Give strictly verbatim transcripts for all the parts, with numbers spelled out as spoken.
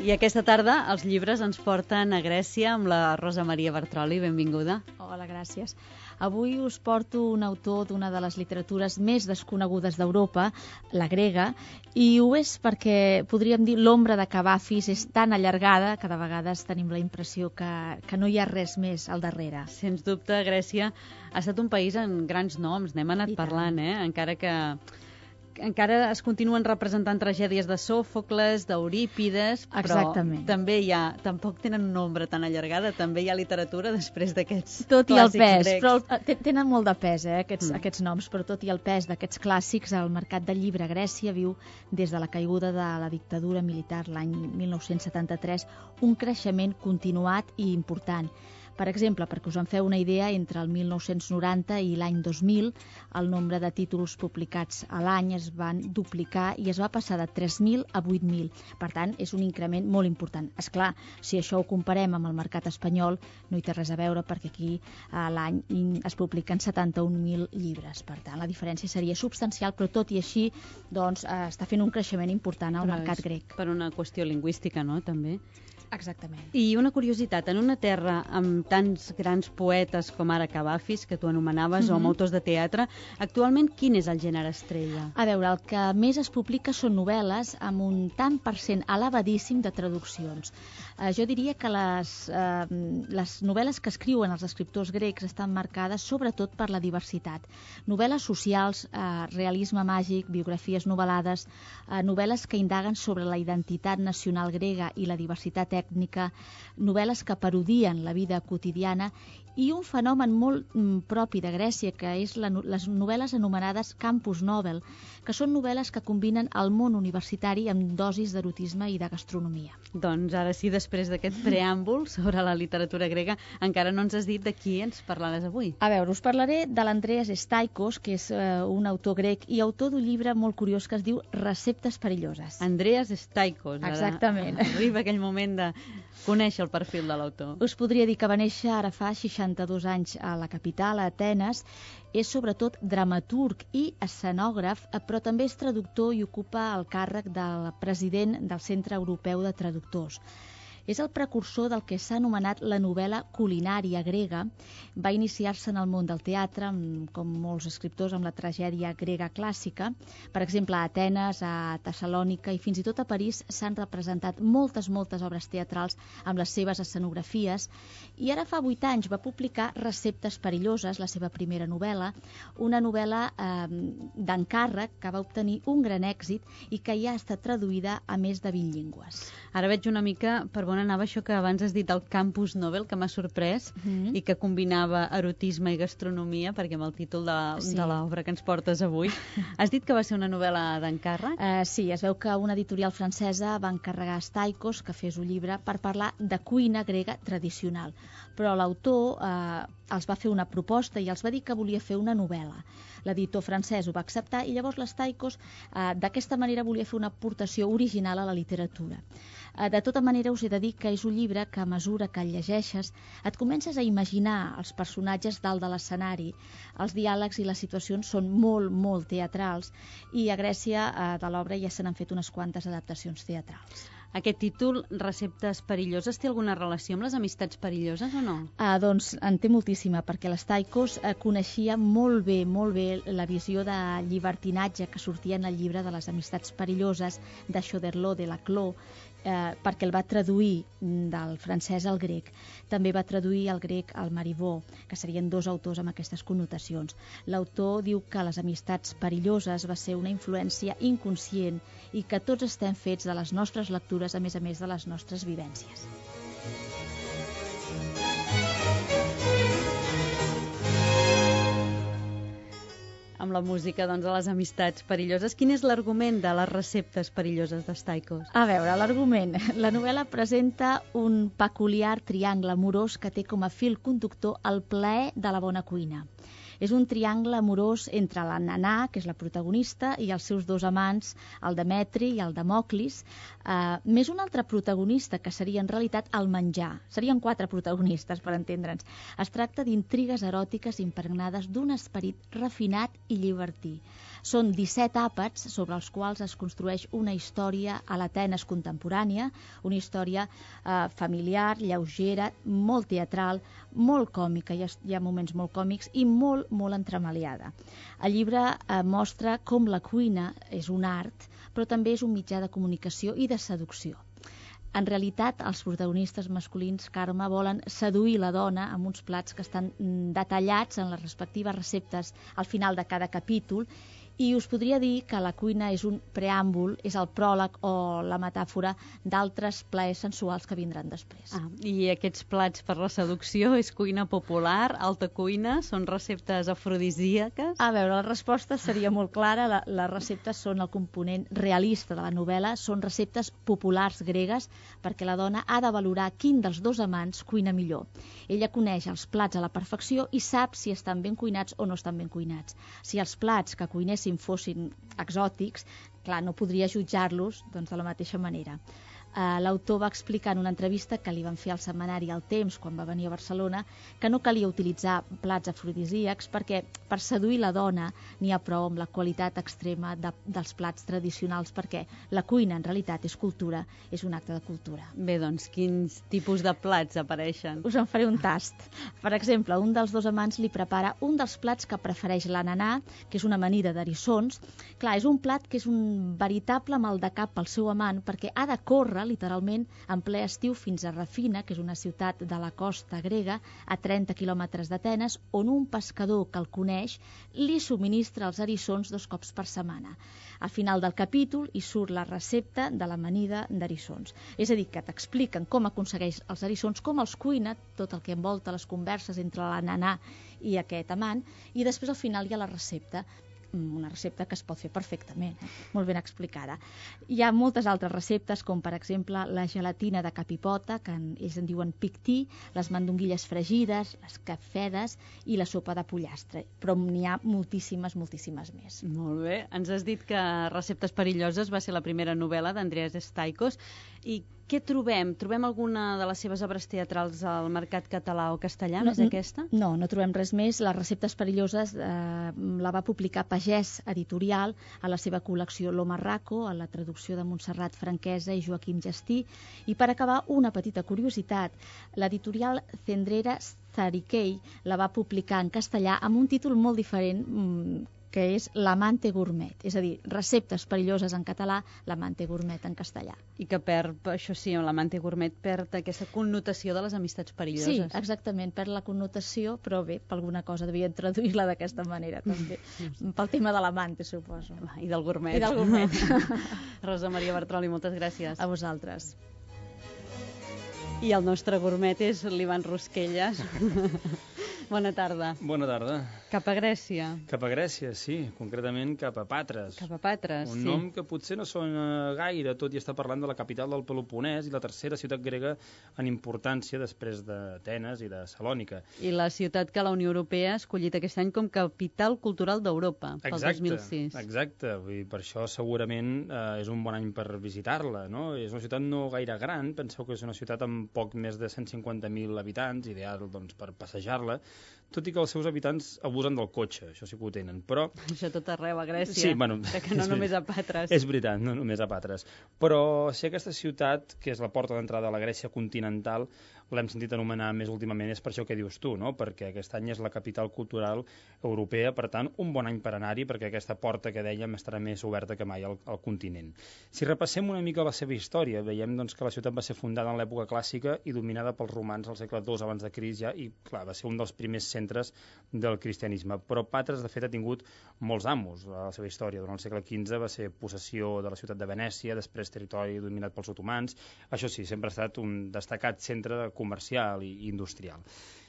I aquesta tarda els llibres ens porten a Grècia amb la Rosa Maria Bartroli. Benvinguda. Hola, gràcies. Avui us porto un autor d'una de les literatures més desconegudes d'Europa, la grega, i ho és perquè, podríem dir, l'ombra de Cavafis és tan allargada que de vegades tenim la impressió que, que no hi ha res més al darrere. Sens dubte, Grècia ha estat un país amb grans noms, n'hem anat I parlant, eh? encara que encara es continuen representant tragèdies de Sòfocles, d'Eurípides, però Exactament. també hi ha, tampoc tenen una ombra tan allargada, també hi ha literatura després d'aquests Tot i el clàssics pes, grecs. però te- tenen molt de pes, eh, aquests, Mm. aquests noms, però tot i el pes d'aquests clàssics, el mercat del llibre a Grècia viu des de la caiguda de la dictadura militar l'any mil nou-cents setanta-tres un creixement continuat i important. Per exemple, perquè us en feu una idea, entre el mil nou-cents noranta i l'any dos mil, el nombre de títols publicats a l'any es van duplicar i es va passar de tres mil a vuit mil. Per tant, és un increment molt important. És clar, si això ho comparem amb el mercat espanyol, no hi té res a veure, perquè aquí a l'any es publiquen setanta-un mil llibres. Per tant, la diferència seria substancial, però tot i així doncs, eh, està fent un creixement important al Però mercat és grec. Per una qüestió lingüística, no?, també. Exactament. I una curiositat, en una terra amb tants grans poetes com ara Cavafis, que tu anomenaves, mm-hmm. o amb autors de teatre, actualment quin és el gènere estrella? A veure, el que més es publica són novel·les amb un tant per cent elevadíssim de traduccions. Eh, jo diria que les, eh, les novel·les que escriuen els escriptors grecs estan marcades sobretot per la diversitat. Novel·les socials, eh, realisme màgic, biografies novel·lades, eh, novel·les que indaguen sobre la identitat nacional grega i la diversitat tècnica, novel·les que parodien la vida quotidiana i un fenomen molt mm, propi de Grècia, que és la, les novel·les anomenades campus novel, que són novel·les que combinen el món universitari amb dosis d'erotisme i de gastronomia. Doncs ara sí, després d'aquest preàmbul sobre la literatura grega, encara no ens has dit de qui ens parlaràs avui. A veure, us parlaré de l'Andreas Staikos, que és eh, un autor grec i autor d'un llibre molt curiós que es diu Receptes perilloses. Andreas Staikos. Ara Exactament. arriba aquell moment de conèixer el perfil de l'autor. Us podria dir que va néixer ara fa seixanta-dos anys a la capital, a Atenes. És sobretot dramaturg i escenògraf, però també és traductor i ocupa el càrrec del president del Centre Europeu de Traductors. És el precursor del que s'ha anomenat la novel·la culinària grega. Va iniciar-se en el món del teatre, com molts escriptors, amb la tragèdia grega clàssica. Per exemple, a Atenes, a Tessalònica i fins i tot a París s'han representat moltes, moltes obres teatrals amb les seves escenografies. I ara fa vuit anys va publicar Receptes perilloses, la seva primera novel·la, una novel·la eh, d'encàrrec que va obtenir un gran èxit i que ja ha estat traduïda a més de vint llengües. Ara veig una mica per on anava això que abans has dit, el campus novel, que m'ha sorprès, Mm-hmm. i que combinava erotisme i gastronomia, perquè amb el títol de, Sí. de l'obra que ens portes avui. Has dit que va ser una novel·la d'encàrrec? Uh, sí, es veu que una editorial francesa va encarregar a Staikos que fes un llibre per parlar de cuina grega tradicional. Però l'autor uh, els va fer una proposta i els va dir que volia fer una novel·la. L'editor francès ho va acceptar i llavors l'Staikos uh, d'aquesta manera volia fer una aportació original a la literatura. Uh, de tota manera us he de dir que és un llibre que a mesura que el llegeixes et comences a imaginar els personatges dalt de l'escenari, els diàlegs i les situacions són molt, molt teatrals i a Grècia uh, de l'obra ja se n'han fet unes quantes adaptacions teatrals. Aquest títol, Receptes perilloses, té alguna relació amb les amistats perilloses o no? Ah, doncs en té moltíssima, perquè l'Staikos eh, coneixia molt bé, molt bé la visió de llibertinatge que sortia en el llibre de les amistats perilloses de Choderlos de Laclos, eh, perquè el va traduir del francès al grec. També va traduir al grec al Marivaux, que serien dos autors amb aquestes connotacions. L'autor diu que les amistats perilloses va ser una influència inconscient i que tots estem fets de les nostres lectures, a més a més de les nostres vivències. Amb la música, doncs, de les amistats perilloses. Quin és l'argument de les receptes perilloses de Staikos? A veure, l'argument. La novel·la presenta un peculiar triangle amorós que té com a fil conductor el plaer de la bona cuina. És un triangle amorós entre la Nanà, que és la protagonista, i els seus dos amants, el Demetri i el Democlis, eh, més un altre protagonista, que seria en realitat el menjar. Serien quatre protagonistes, per entendre'ns. Es tracta d'intrigues eròtiques impregnades d'un esperit refinat i llibertí. Són disset àpats sobre els quals es construeix una història a l'Atenes contemporània, una història eh, familiar, lleugera, molt teatral, molt còmica, hi ha, hi ha moments molt còmics i molt, molt entremaliada. El llibre eh, mostra com la cuina és un art, però també és un mitjà de comunicació i de seducció. En realitat, els protagonistes masculins, Carme, volen seduir la dona amb uns plats que estan detallats en les respectives receptes al final de cada capítol. I us podria dir que la cuina és un preàmbul, és el pròleg o la metàfora d'altres plaers sensuals que vindran després. Ah, i aquests plats per la seducció és cuina popular, alta cuina, són receptes afrodisíaques? A veure, la resposta seria molt clara. La, les receptes són el component realista de la novel·la, són receptes populars gregues, perquè la dona ha de valorar quin dels dos amants cuina millor. Ella coneix els plats a la perfecció i sap si estan ben cuinats o no estan ben cuinats. Si els plats que cuinessin fossin exòtics, clar, no podria jutjar-los doncs, de la mateixa manera. Uh, L'autor va explicar en una entrevista que li van fer al setmanari El Temps, quan va venir a Barcelona, que no calia utilitzar plats afrodisíacs perquè per seduir la dona n'hi ha prou amb la qualitat extrema de, dels plats tradicionals, perquè la cuina en realitat és cultura, és un acte de cultura. Bé, doncs, quins tipus de plats apareixen? Us en faré un tast. Per exemple, un dels dos amants li prepara un dels plats que prefereix la Nanà, que és una amanida d'eriçons. Clar, és un plat que és un veritable mal de cap pel seu amant, perquè ha de córrer literalment en ple estiu fins a Rafina, que és una ciutat de la costa grega a trenta quilòmetres d'Atenes, on un pescador que el coneix li subministra els eriçons dos cops per setmana. Al final del capítol hi surt la recepta de l'amanida d'eriçons. És a dir, que t'expliquen com aconsegueix els eriçons, com els cuina, tot el que envolta les converses entre la Nanà i aquest amant, i després al final hi ha la recepta, una recepta que es pot fer perfectament, eh? Molt ben explicada. Hi ha moltes altres receptes, com per exemple la gelatina de capipota, que en, ells en diuen pictí, les mandonguilles fregides, les cafedes i la sopa de pollastre, però n'hi ha moltíssimes, moltíssimes més. Molt bé. Ens has dit que Receptes perilloses va ser la primera novel·la d'Andreas Staikos. I què trobem? Trobem alguna de les seves obres teatrals al mercat català o castellà, no, més aquesta? No, no trobem res més. Les Receptes perilloses eh, la va publicar Pagès Editorial a la seva col·lecció Lo Marraco, a la traducció de Montserrat Franquesa i Joaquim Gestí. I per acabar, una petita curiositat. L'editorial Cendrera Zariquei la va publicar en castellà amb un títol molt diferent, que és L'amante gourmet, és a dir, Receptes perilloses en català, L'amante gourmet en castellà. I que perd, això sí, l'amante gourmet perd aquesta connotació de les amistats perilloses. Sí, exactament, perd la connotació, però bé, per alguna cosa devien traduir-la d'aquesta manera, també. Pel tema de l'amante, suposo. I del gourmet. I del gourmet. Rosa Maria Bartroli, moltes gràcies. A vosaltres. I el nostre gourmet és l'Ivan Rosquelles. Bona tarda. Bona tarda. Cap a Grècia. Cap a Grècia, sí. Concretament cap a Patres. Cap a Patres, Un sí. nom que potser no sona gaire, tot i estar parlant de la capital del Peloponès i la tercera ciutat grega en importància després d'Atenes i de Salònica. I la ciutat que la Unió Europea ha escollit aquest any com capital cultural d'Europa, pel Exacte, dos mil sis. Exacte, vull dir, per això segurament eh, és un bon any per visitar-la, no? És una ciutat no gaire gran, penseu que és una ciutat amb poc més de cent cinquanta mil habitants, ideal doncs, per passejar-la, tot i que els seus habitants abusen del cotxe, això sí que ho tenen, però... Això tot arreu a Grècia, sí, bueno, que no només a Patres. És veritat, no només a Patres. Però si aquesta ciutat, que és la porta d'entrada a la Grècia continental, l'hem sentit anomenar més últimament, és per això que dius tu, no? Perquè aquest any és la capital cultural europea, per tant, un bon any per anar-hi, perquè aquesta porta que dèiem estarà més oberta que mai al, al continent. Si repassem una mica la seva història, veiem doncs, que la ciutat va ser fundada en l'època clàssica i dominada pels romans al segle dos abans de Crist ja, i clar, va ser un dels primers centres del cristianisme. Però Patres, de fet, ha tingut molts amos a la seva història. Durant el segle quinze va ser possessió de la ciutat de Venècia, després territori dominat pels otomans. Això sí, sempre ha estat un destacat centre comercial i industrial.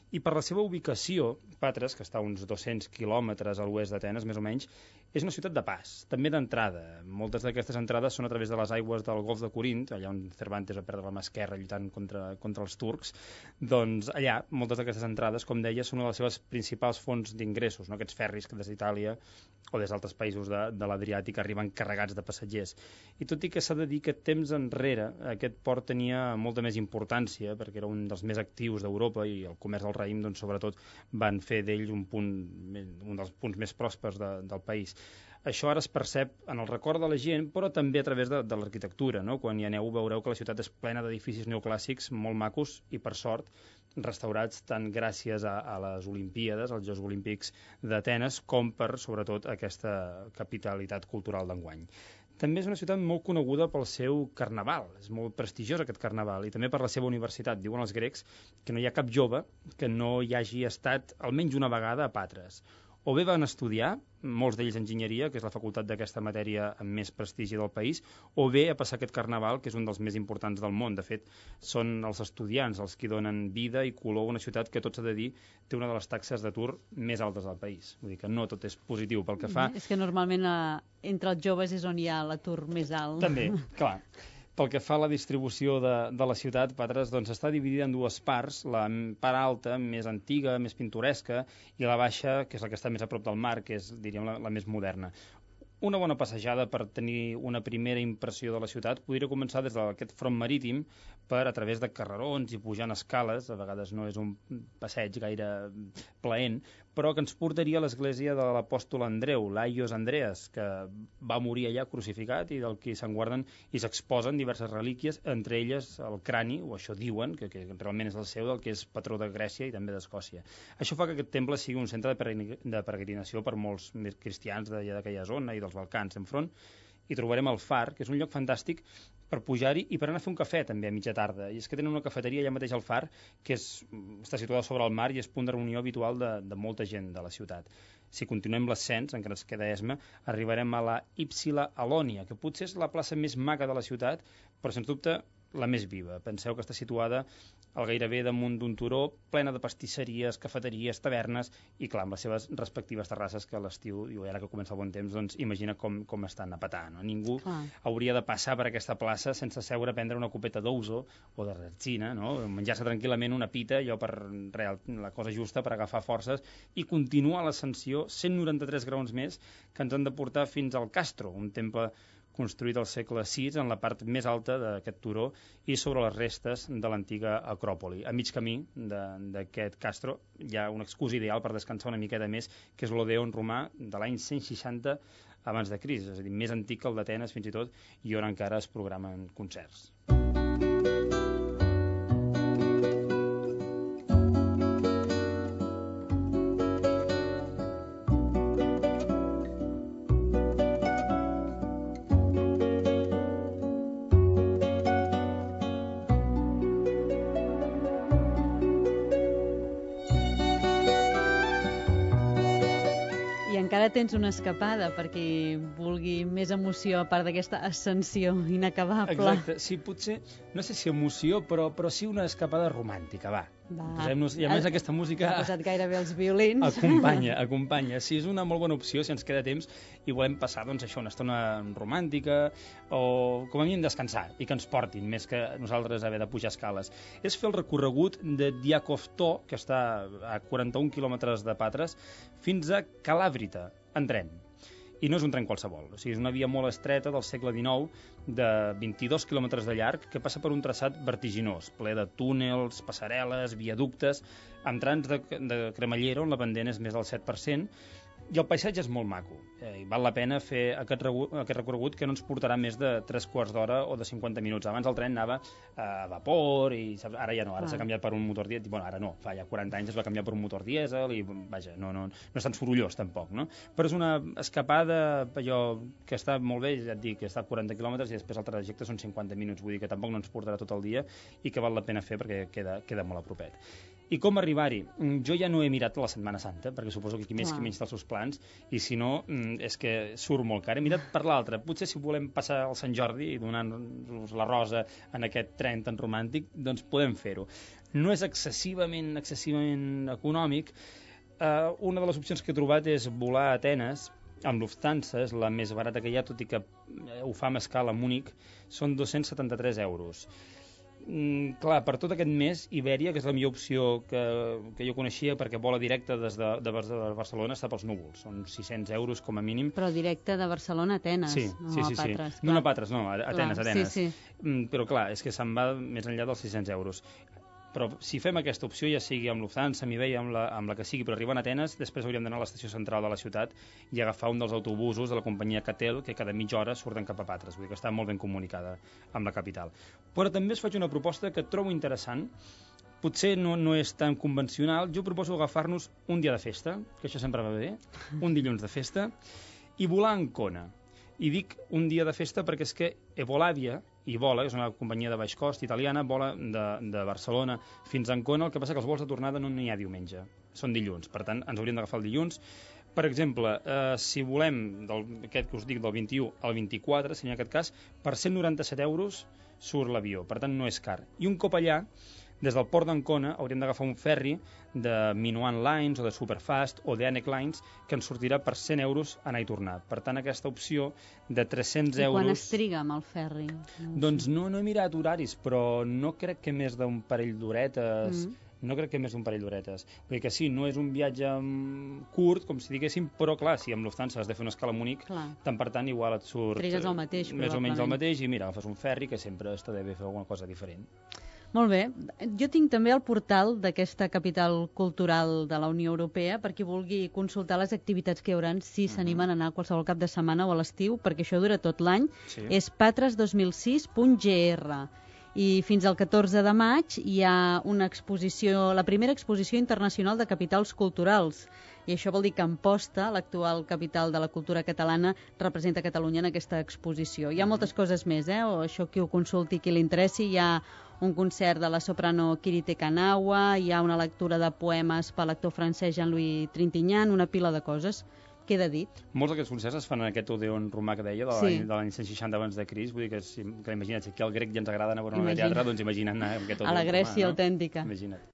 I per la seva ubicació, Patres, que està a uns dos-cents quilòmetres a l'oest d'Atenes, més o menys, és una ciutat de pas, també d'entrada. Moltes d'aquestes entrades són a través de les aigües del Golf de Corint, allà on Cervantes va perdre la mà esquerra lluitant contra, contra els turcs. Doncs allà, moltes d'aquestes entrades, com deia, són una de les seves principals fonts d'ingressos, no? Aquests ferris que des d'Itàlia o des d'altres països de, de l'Adriàtic arriben carregats de passatgers. I tot i que s'ha de dir que temps enrere aquest port tenia molta més importància, perquè era un dels més actius d'Europa i el comerç del raïm, doncs, sobretot, van fer d'ell un, punt, un dels punts més pròspers de, del país. Això ara es percep en el record de la gent, però també a través de, de l'arquitectura, no? Quan hi aneu veureu que la ciutat és plena d'edificis neoclàssics molt macos i, per sort, restaurats tant gràcies a, a les Olimpíades, als Jocs Olímpics d'Atenes, com per, sobretot, aquesta capitalitat cultural d'enguany. També és una ciutat molt coneguda pel seu carnaval, és molt prestigiós aquest carnaval, i també per la seva universitat. Diuen els grecs que no hi ha cap jove que no hi hagi estat almenys una vegada a Patres. O bé van estudiar, molts d'ells enginyeria, que és la facultat d'aquesta matèria amb més prestigi del país, o bé a passar aquest carnaval, que és un dels més importants del món. De fet, són els estudiants els que donen vida i color a una ciutat que, tot s'ha de dir, té una de les taxes d'atur més altes del país. Vull dir que no tot és positiu pel que fa... És que normalment eh, entre els joves és on hi ha l'atur més alt. També, clar. Pel que fa a la distribució de, de la ciutat, Patres, doncs, està dividida en dues parts, la part alta, més antiga, més pintoresca, i la baixa, que és la que està més a prop del mar, que és, diríem, la, la més moderna. Una bona passejada per tenir una primera impressió de la ciutat podria començar des d'aquest front marítim per a través de carrerons i pujant escales, a vegades no és un passeig gaire plaent, però que ens portaria a l'església de l'apòstol Andreu, l'Aios Andreas, que va morir allà crucificat i del que se'n guarden i s'exposen diverses relíquies, entre elles el crani, o això diuen, que, que realment és el seu, del que és patró de Grècia i també d'Escòcia. Això fa que aquest temple sigui un centre de peregrinació per molts cristians d'aquella zona i dels Balcans. Enfront hi trobarem el Far, que és un lloc fantàstic per pujar-hi i per anar a fer un cafè també a mitja tarda. I és que tenen una cafeteria allà mateix al Far que és, està situada sobre el mar i és punt de reunió habitual de, de molta gent de la ciutat. Si continuem l'ascens, encara ens queda esma, arribarem a la Ypsila Alonia, que potser és la plaça més maca de la ciutat, però sens dubte la més viva. Penseu que està situada al gairebé damunt d'un turó, plena de pastisseries, cafeteries, tavernes i, clar, amb les seves respectives terrasses que a l'estiu, i ara que comença el bon temps, doncs imagina com, com estan a petar. No? Ningú ah. hauria de passar per aquesta plaça sense seure a prendre una copeta d'ouzo o de retzina, no? Menjar-se tranquil·lament una pita, allò per real, la cosa justa per agafar forces i continuar l'ascensió cent noranta-tres graons més que ens han de portar fins al Castro, un temple construït al segle sis en la part més alta d'aquest turó i sobre les restes de l'antiga Acròpoli. A mig camí d'aquest Castro hi ha un excurs ideal per descansar una miqueta més, que és l'Odeon romà de l'any cent seixanta abans de Crist, és a dir, més antic que el d'Atenes fins i tot, i on encara es programen concerts. Encara tens una escapada perquè vulgui més emoció a part d'aquesta ascensió inacabable. Exacte, sí, potser, no sé si emoció, però, però sí una escapada romàntica, va. Posem-nos, i a més aquesta música... Ha posat gairebé els violins. Acompanya, acompanya. Sí, és una molt bona opció si ens queda temps i volem passar, doncs, això, una estona romàntica o com a mínim descansar i que ens portin, més que nosaltres haver de pujar escales. És fer el recorregut de Diakovto, que està a quaranta-un quilòmetres de Patres, fins a Calàvrita, en tren. I no és un tren qualsevol, o sigui, és una via molt estreta del segle dinou de vint-i-dos quilòmetres de llarg que passa per un traçat vertiginós, ple de túnels, passarel·les, viaductes, amb trams de, de cremallera on la pendent és més del set per cent, i el paisatge és molt maco. Eh, i val la pena fer aquest, aquest recorregut que no ens portarà més de tres quarts d'hora o de cinquanta minuts. Abans el tren anava a vapor i saps, ara ja no, ara ah. s'ha canviat per un motor dièsel. Bueno, ara no, fa ja quaranta anys es va canviar per un motor dièsel i vaja, no, no, no és tan sorollós tampoc, no? Però és una escapada allò que està molt bé, ja et dic, que està a quaranta quilòmetres i després el trajecte són cinquanta minuts, vull dir que tampoc no ens portarà tot el dia i que val la pena fer perquè queda, queda molt a propet. I com arribar-hi? Jo ja no he mirat la Setmana Santa, perquè suposo que qui més Clar. qui menys té els seus plans, i si no, és que surt molt car. He mirat per l'altre. Potser si volem passar al Sant Jordi i donar-nos la rosa en aquest tren tan romàntic, doncs podem fer-ho. No és excessivament, excessivament econòmic. Uh, una de les opcions que he trobat és volar a Atenes, amb Lufthansa, és la més barata que hi ha, tot i que ho fa amb escala a Múnich, són dos-cents setanta-tres euros. Mm, clar, per tot aquest mes, Ibèria, que és la millor opció que, que jo coneixia, perquè vola directe des de, de, de Barcelona, està pels núvols. Són sis-cents euros com a mínim. Però directe de Barcelona a Atenes, sí, no sí, a sí, Patres. Sí. No, no a Patres, no, a Atenes, clar, Atenes. Sí, sí. Mm, però clar, és que se'n va més enllà dels sis-cents euros. Però si fem aquesta opció, ja sigui amb Lufthansa, amb Iberia, amb la, amb la que sigui, però arribant a Atenes, després hauríem d'anar a l'estació central de la ciutat i agafar un dels autobusos de la companyia Catel, que cada mitja hora surten cap a Patres, vull dir que està molt ben comunicada amb la capital. Però també us faig una proposta que trobo interessant, potser no, no és tan convencional. Jo proposo agafar-nos un dia de festa, que això sempre va bé, un dilluns de festa, i volar a Ancona. I dic un dia de festa perquè és que Evolàvia i vola, que és una companyia de baix cost italiana, vola de, de Barcelona fins a Ancona, el que passa que els vols de tornada no n'hi ha diumenge, són dilluns, per tant ens hauríem d'agafar el dilluns. Per exemple, eh, si volem, del, aquest que us dic del vint-i-u al vint-i-quatre, si en aquest cas, per cent noranta-set euros surt l'avió, per tant no és car. I un cop allà, des del port d'Ancona hauríem d'agafar un ferri de Minuan Lines o de Superfast o de Anek Lines que ens sortirà per cent euros anar i tornar. Per tant, aquesta opció de tres-cents euros... I quan es triga amb el ferri? No doncs no, no he mirat horaris, però no crec que més d'un parell d'horetes... Mm. No crec que més d'un parell d'horetes. Vull dir que sí, no és un viatge curt, com si diguéssim, però clar, si amb Lufthansa has de fer una escala a Múnich, tant per tant igual et surt... Trigues el mateix, més o menys el mateix, i mira, agafes un ferri que sempre està bé fer alguna cosa diferent. Molt bé. Jo tinc també el portal d'aquesta capital cultural de la Unió Europea per qui vulgui consultar les activitats que hi haurà si s'animen a anar qualsevol cap de setmana o a l'estiu, perquè això dura tot l'any. Sí. És patres dos mil sis punt g r. I fins al catorze de maig hi ha una exposició, la primera exposició internacional de capitals culturals. I això vol dir que Amposta, l'actual capital de la cultura catalana, representa Catalunya en aquesta exposició. Hi ha moltes coses més, eh? O això qui ho consulti, qui li interessi. Hi ha un concert de la soprano Kirite Kanawa, hi ha una lectura de poemes per l'actor francès Jean-Louis Trintignant, una pila de coses. Queda dit. Molts d'aquests concerts es fan en aquest Odeon romà que deia, de l'any sí. cent seixanta abans de Crist, vull dir que, si, que imagina't, si aquí al grec ja ens agrada anar a veure una teatre, doncs imagina't anar a aquest Odeon a la Grècia romà, no? autèntica. Imagina't.